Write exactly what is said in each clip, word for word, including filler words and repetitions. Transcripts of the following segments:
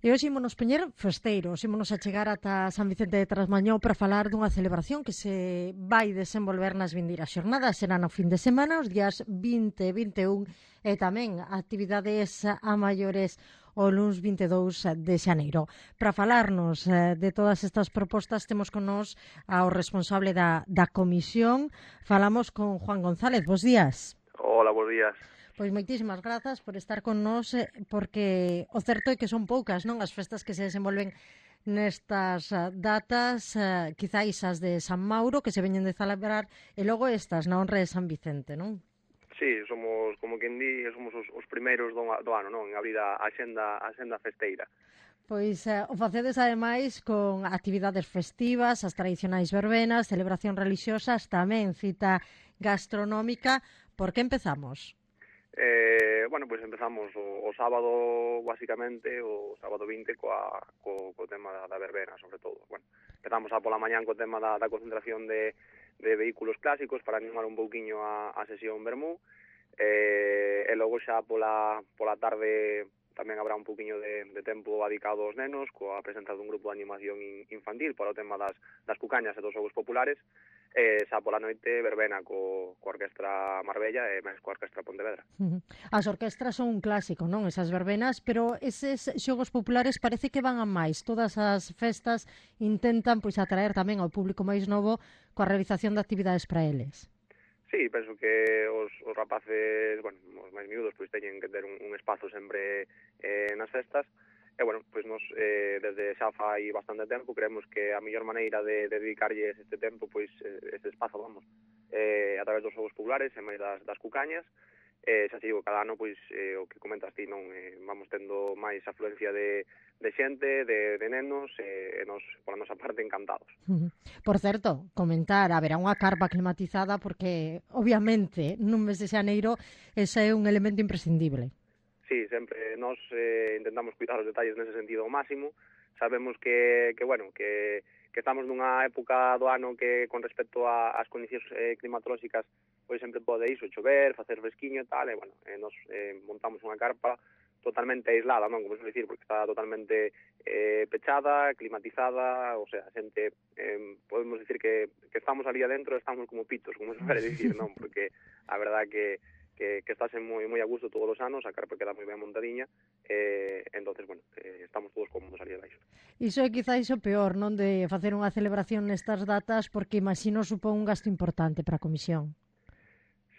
E hoxe ímonos poñer festeiros, ímonos a chegar ata San Vicente de Trasmañou para falar dunha celebración que se vai desenvolver nas vindeiras xornadas. Será no fin de semana, os días vinte e vinte e un, e tamén actividades a maiores o luns vinte e dous de xaneiro. Para falarnos eh, de todas estas propostas temos con nós ao responsable da, da comisión. Falamos con Juan González. Bos días. Hola, bos días. Pois moitísimas grazas por estar con nós, porque o certo é que son poucas, non, as festas que se desenvolven nestas datas, eh, quizáis as de San Mauro, que se veñen de celebrar, e logo estas na honra de San Vicente, non? Sí, somos, como quen di, somos os, os primeiros do, do ano, non, en abrir a axenda, a axenda festeira. Pois eh, o facedes ademais con actividades festivas, as tradicionais verbenas, celebracións religiosas, tamén cita gastronómica. Por que empezamos? Eh, bueno, pois pues empezamos o, o sábado, basicamente, o sábado vinte, coa, co, co tema da, da verbena, sobre todo. Bueno, empezamos a pola mañán co tema da, da concentración de, de vehículos clásicos para animar un pouquiño a, a sesión Bermú, eh, e logo xa pola, pola tarde tamén habrá un pouquiño de, de tempo dedicado aos nenos, coa presenza dun grupo de animación infantil para o tema das, das cucañas e dos xogos populares, e xa pola noite verbena co, co Orquestra Marbella e máis co Orquestra Pontevedra. Uh -huh. As orquestras son un clásico, non? Esas verbenas, pero eses xogos populares parece que van a máis. Todas as festas intentan pois atraer tamén ao público máis novo coa realización de actividades para eles. Sí, penso que os, os rapaces, bueno, os máis miúdos, pois teñen que ter un, un espazo sempre eh, nas festas. E, bueno, pois nos, eh, desde xa fai bastante tempo, creemos que a mellor maneira de, de dedicarlles este tempo, pois, este espazo, vamos, eh, a través dos xogos populares e máis das, das cucañas. Eh, xa digo, cada ano, pois, eh, o que comentas ti, non, eh, vamos tendo máis afluencia de, de xente, de, de nenos, e eh, nos, por a nosa parte, encantados. Uh -huh. Por certo, comentar, haberá unha carpa climatizada porque, obviamente, nun mes de xaneiro, ese é un elemento imprescindible. Sí, sempre nós eh, intentamos cuidar os detalles nese sentido ao máximo. Sabemos que, que bueno, que, que estamos nunha época do ano que, con respecto ás condicións eh, climatolóxicas, pois sempre pode iso, chover, facer fresquiño e tal, e, bueno, eh, nos eh, montamos unha carpa totalmente aislada, non, como se dicir, porque está totalmente eh, pechada, climatizada, o sea, a xente, eh, podemos dicir que, que estamos ali adentro, estamos como pitos, como se pode dicir, non, porque a verdad que que, que estase moi moi a gusto todos os anos, a carpa queda moi ben montadiña, eh, entonces, bueno, eh, estamos todos cómodos ali abaixo. Iso é quizáis o peor, non, de facer unha celebración nestas datas, porque imagino supón un gasto importante para a comisión.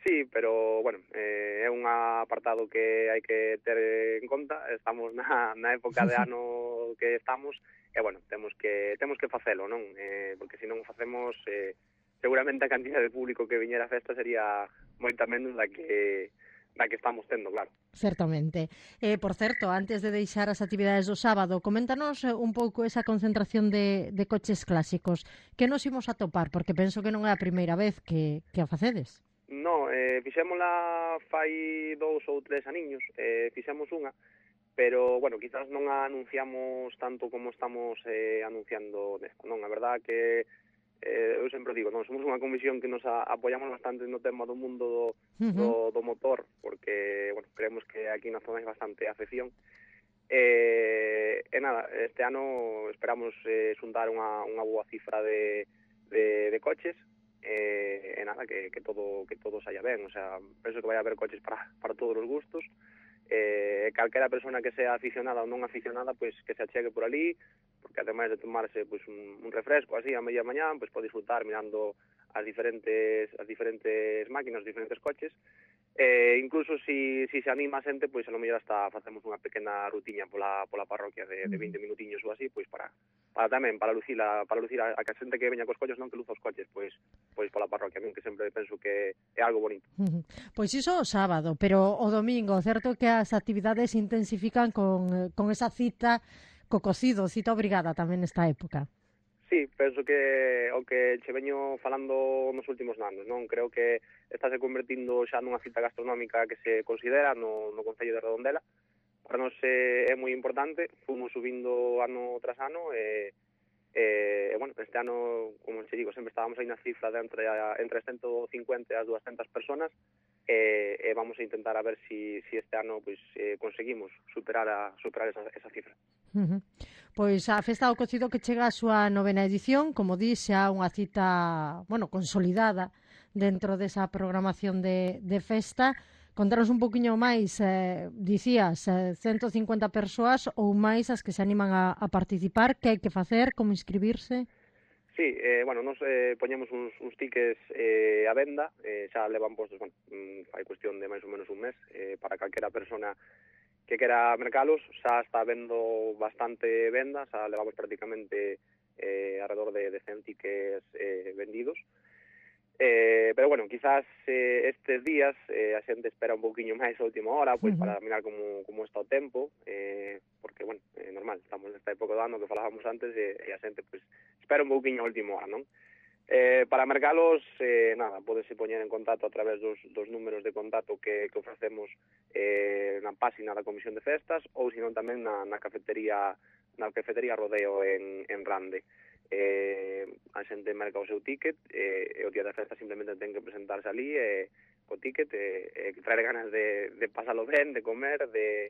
Sí, pero, bueno, eh, é un apartado que hai que ter en conta. Estamos na, na época de ano que estamos, e, bueno, temos que temos que facelo, non? Eh, porque se non o facemos, eh, seguramente a cantidad de público que viñera a festa sería moita menos da que da que estamos tendo, claro. Certamente. Eh, por certo, antes de deixar as actividades do sábado, coméntanos un pouco esa concentración de, de coches clásicos. Que nos imos a topar? Porque penso que non é a primeira vez que, que a facedes. No, eh, fixémola fai dous ou tres aniños, eh, fixemos unha, pero, bueno, quizás non a anunciamos tanto como estamos eh, anunciando nesta, non? A verdad que eh, eu sempre digo, non, somos unha comisión que nos a, apoiamos bastante no tema do mundo do, uh -huh. do, do motor, porque, bueno, creemos que aquí na zona hai bastante afección. E, e nada, este ano esperamos eh, xuntar unha, unha boa cifra de, de, de coches, e, e nada, que, que todo que todo saia ben, o sea, penso que vai haber coches para, para todos os gustos. Eh, calquera persona que sea aficionada ou non aficionada, pois que se achegue por ali, porque ademais de tomarse pois un, un refresco así a media mañá, pois pode disfrutar mirando as diferentes as diferentes máquinas, os diferentes coches. Eh, incluso si, si se anima a xente, pois a lo mellor hasta facemos unha pequena rutiña pola, pola parroquia de, de vinte minutiños ou así, pois para, para tamén, para lucir a, para lucir a, a que a xente que veña cos coches non que luza os coches, pois pois pola parroquia, non, que sempre penso que é algo bonito. Uh -huh. Pois iso o sábado, pero o domingo, certo que as actividades intensifican con, con esa cita co cocido, cita obrigada tamén nesta época. Sí, penso que o que che veño falando nos últimos anos, non? Creo que estáse convertindo xa nunha cita gastronómica que se considera no, no Concello de Redondela. Para nós é, é moi importante, fomos subindo ano tras ano, e, e, bueno, este ano, como che digo, sempre estábamos aí na cifra de entre, entre as ciento cincuenta e as doscientas personas, e, e vamos a intentar a ver si, si este ano pues, eh, conseguimos superar, a, superar esa, esa cifra. Uh -huh. Pois a Festa do Cocido que chega a súa novena edición, como di, xa unha cita, bueno, consolidada dentro desa programación de, de festa. Contaros un poquinho máis, eh, dicías, eh, ciento cincuenta persoas ou máis as que se animan a, a participar, que hai que facer, como inscribirse? Sí, eh, bueno, nos eh, poñemos uns, uns tickets eh, a venda, eh, xa levan postos, bueno, mm, fai cuestión de máis ou menos un mes, eh, para calquera persona que quera mercalos, xa está vendo bastante venda, xa levamos prácticamente eh, alrededor de, de cen tickets eh, vendidos. Eh, pero bueno, quizás eh, estes días eh, a xente espera un pouquiño máis a última hora, pois Uh -huh. para mirar como, como está o tempo, eh, porque, bueno, é eh, normal, estamos nesta época do ano que falábamos antes e, e a xente, pois, espera un pouquiño a última hora, non? Eh, para mercalos, eh, nada, podese poñer en contacto a través dos, dos números de contacto que, que ofrecemos eh, na páxina da Comisión de Festas ou senón tamén na, na cafetería na cafetería Rodeo en, en Rande. Eh, a xente merca o seu ticket eh, e o día da festa simplemente ten que presentarse ali e, co ticket e, e traer ganas de, de pasalo ben, de comer, de,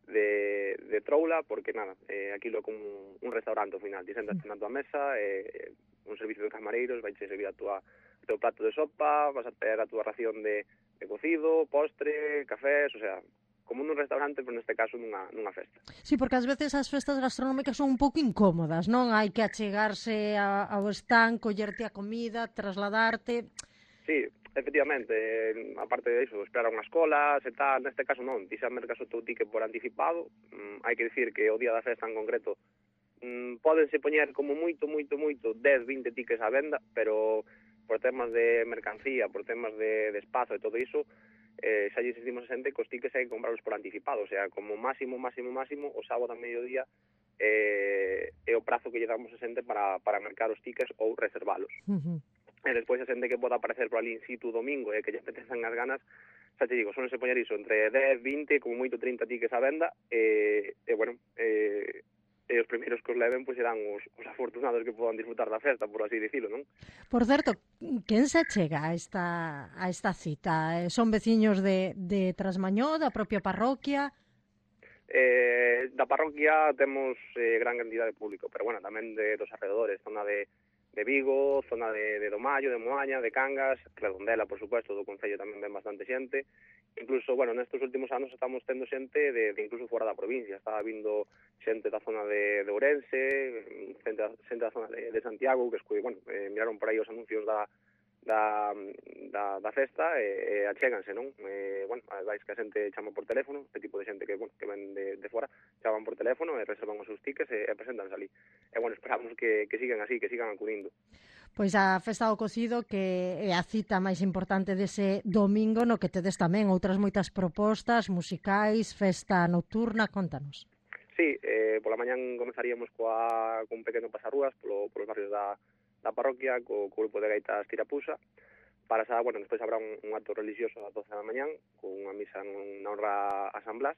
de, de troula, porque nada, eh, aquilo é como un restaurante ao final, ti sentas na tua mesa, eh, un servicio de camareiros, vai che servir a tua, o teu plato de sopa, vas a ter a tua ración de, de cocido, postre, cafés, o sea, como nun restaurante, pero neste caso nunha, nunha festa. Sí, porque ás veces as festas gastronómicas son un pouco incómodas, non? Hai que achegarse a, ao stand, collerte a comida, trasladarte... Sí, efectivamente, eh, aparte de iso, esperar unhas colas e tal, neste caso non, ti xa mercas o teu ticket por anticipado, mm, hai que dicir que o día da festa en concreto mm, pódense poñer como moito, moito, moito dez, vinte tickets á venda, pero por temas de mercancía, por temas de, de espazo e todo iso, eh, xa lle insistimos a xente que os tickets hai que comprarlos por anticipado, o sea, como máximo, máximo, máximo, o sábado a mediodía eh, é o prazo que lle damos a xente para, para mercar os tickets ou reservalos. Uh -huh. E despois a xente que poda aparecer por ali in situ domingo e que lle apetezan as ganas, xa te digo, son se poñer iso entre dez, vinte, como moito trinta tickets á venda, e, e bueno, e, e os primeiros que os leven pois serán os, os afortunados que podan disfrutar da festa, por así dicilo, non? Por certo, quen se chega a esta, a esta cita? Son veciños de, de Trasmañó, da propia parroquia? Eh, da parroquia temos eh, gran cantidad de público, pero bueno, tamén de dos alrededores, zona de de Vigo, zona de, de Domallo, de Moaña, de Cangas, Redondela, por supuesto, do Concello tamén ven bastante xente. Incluso, bueno, nestes últimos anos estamos tendo xente de, de incluso fora da provincia. Estaba vindo xente da zona de, de Ourense, xente, xente da zona de, de Santiago, que escui, bueno, eh, miraron por aí os anuncios da, da, da, da festa e, e achéganse, non? Eh, bueno, vais que a xente chama por teléfono, este tipo de xente que, bueno, que ven de, de fora, chaman por teléfono e reservan os seus tickets e, e presentanse ali. E, bueno, esperamos que, que sigan así, que sigan acudindo. Pois a Festa do Cocido, que é a cita máis importante dese domingo, no que tedes tamén outras moitas propostas musicais, festa nocturna, contanos. Sí, eh, pola mañán comenzaríamos coa, con un pequeno pasarrúas polo, polos barrios da, da parroquia, co, co grupo de gaitas Tirapusa. Para esa, bueno, despois habrá un, un acto religioso ás doce da mañán, con unha misa na honra a San Blas.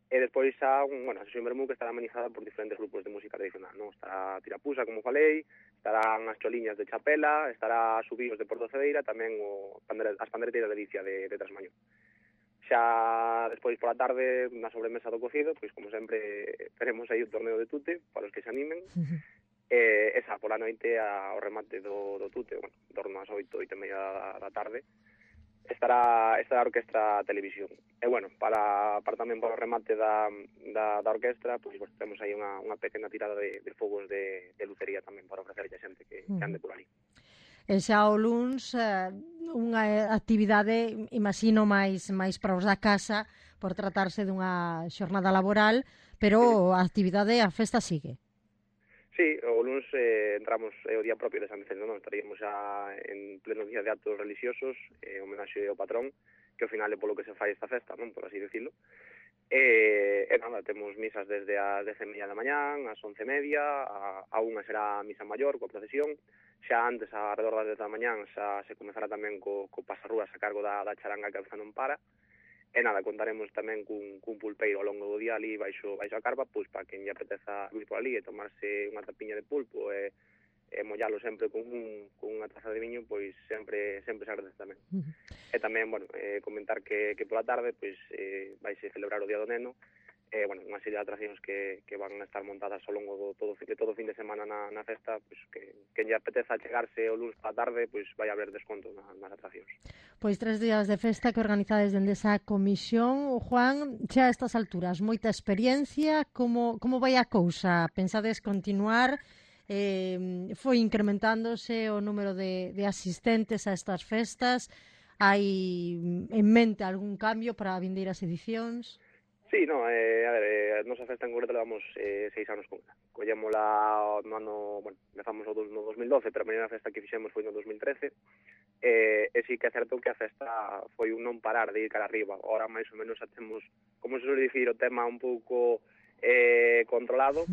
E despois xa, un, bueno, a sesión vermú que estará amenizada por diferentes grupos de música tradicional, non? Estará Tirapusa, como falei, estarán as choliñas de Chapela, estará Subios de Porto Cedeira, tamén o, as pandereteiras de Licia de, de Trasmañón. Xa despois pola tarde, na sobremesa do cocido, pois como sempre teremos aí o torneo de tute, para os que se animen, e esa pola noite ao remate do, do tute, bueno, en torno ás oito, oito e media da, da tarde, estará esta orquestra televisión. E bueno, para, para tamén para o remate da, da, da orquestra, pois pues, temos aí unha, unha pequena tirada de, de fogos de, de lucería tamén para ofrecerlle a xente que, que ande por ali. E xa o luns, eh, unha actividade, imagino, máis máis para os da casa, por tratarse dunha xornada laboral, pero a actividade, a festa sigue. Sí, o luns eh, entramos é eh, o día propio de San Vicente, non? Estaríamos xa en pleno día de actos religiosos, eh, homenaxe ao patrón, que ao final é polo que se fai esta festa, non? Por así decirlo. E, e nada, temos misas desde as dez e media da mañán, ás once e media, a, a unha será a misa maior, coa procesión, xa antes, a redor das dez da mañán, xa se comezará tamén co, co pasarrúas a cargo da, da charanga que a veza non para. E nada, contaremos tamén cun, cun pulpeiro ao longo do día ali baixo, baixo a carpa, pois para quen lle apeteza vir por ali e tomarse unha tapiña de pulpo e, e mollalo sempre con, un, con unha taza de viño, pois sempre sempre se agradece tamén. Uh -huh. E tamén, bueno, eh, comentar que, que pola tarde pois eh, vaise celebrar o Día do Neno eh, bueno, unha serie de atraccións que, que van a estar montadas ao longo do todo, de todo o fin de semana na, na festa, pues, que, que lle apeteza chegarse o luns pa tarde, pois pues, vai haber desconto na, nas atraccións. Pois tres días de festa que organizades dende esa comisión. Juan, xa a estas alturas, moita experiencia, como, como vai a cousa? Pensades continuar? Eh, foi incrementándose o número de, de asistentes a estas festas? Hai en mente algún cambio para a vindeiras edicións? Sí, no, eh, a ver, eh, a nosa festa en concreto levamos eh, seis anos con ela. Collémola no ano, bueno, empezamos no, no dos mil doce, pero a primeira festa que fixemos foi no dos mil trece, eh, e sí que é certo que a festa foi un non parar de ir cara arriba. Ahora máis ou menos xa temos, como se suele dicir, o tema un pouco eh, controlado.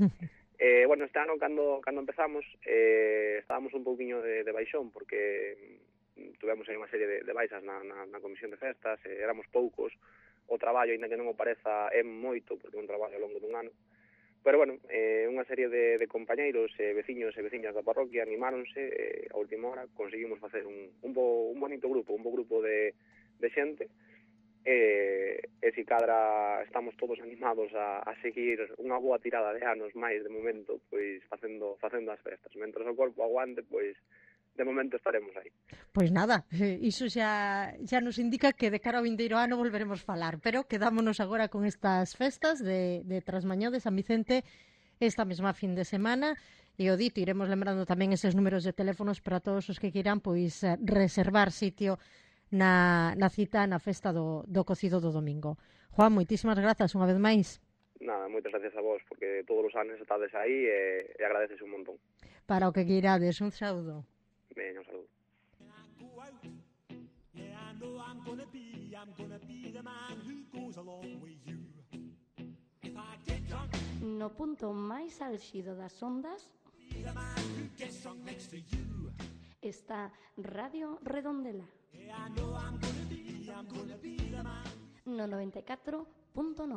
Eh, bueno, este ano, cando, cando empezamos, eh, estábamos un pouquiño de, de baixón, porque tuvemos aí unha serie de, de baixas na, na, na comisión de festas, eh, éramos poucos, o traballo, ainda que non o pareza, é moito, porque é un traballo ao longo dun ano. Pero, bueno, eh, unha serie de, de compañeiros, eh, veciños e veciñas da parroquia animáronse, eh, a última hora conseguimos facer un, un, bo, un bonito grupo, un bo grupo de, de xente, e, e si cadra estamos todos animados a, a seguir unha boa tirada de anos máis, de momento, pois facendo, facendo as festas. Mentras o corpo aguante, pois de momento estaremos aí. Pois nada, iso xa, xa nos indica que de cara ao vindeiro ano volveremos falar, pero quedámonos agora con estas festas de, de Trasmañó de San Vicente esta mesma fin de semana, e o dito, iremos lembrando tamén eses números de teléfonos para todos os que queiran pois reservar sitio na, na cita na festa do, do cocido do domingo. Juan, moitísimas grazas unha vez máis. Nada, moitas gracias a vos, porque todos os anos estades aí e, e agradeces un montón. Para o que queirades, un saúdo. Ben, un saludo. No punto máis álxido das ondas está Radio Redondela no noventa e catro punto nove.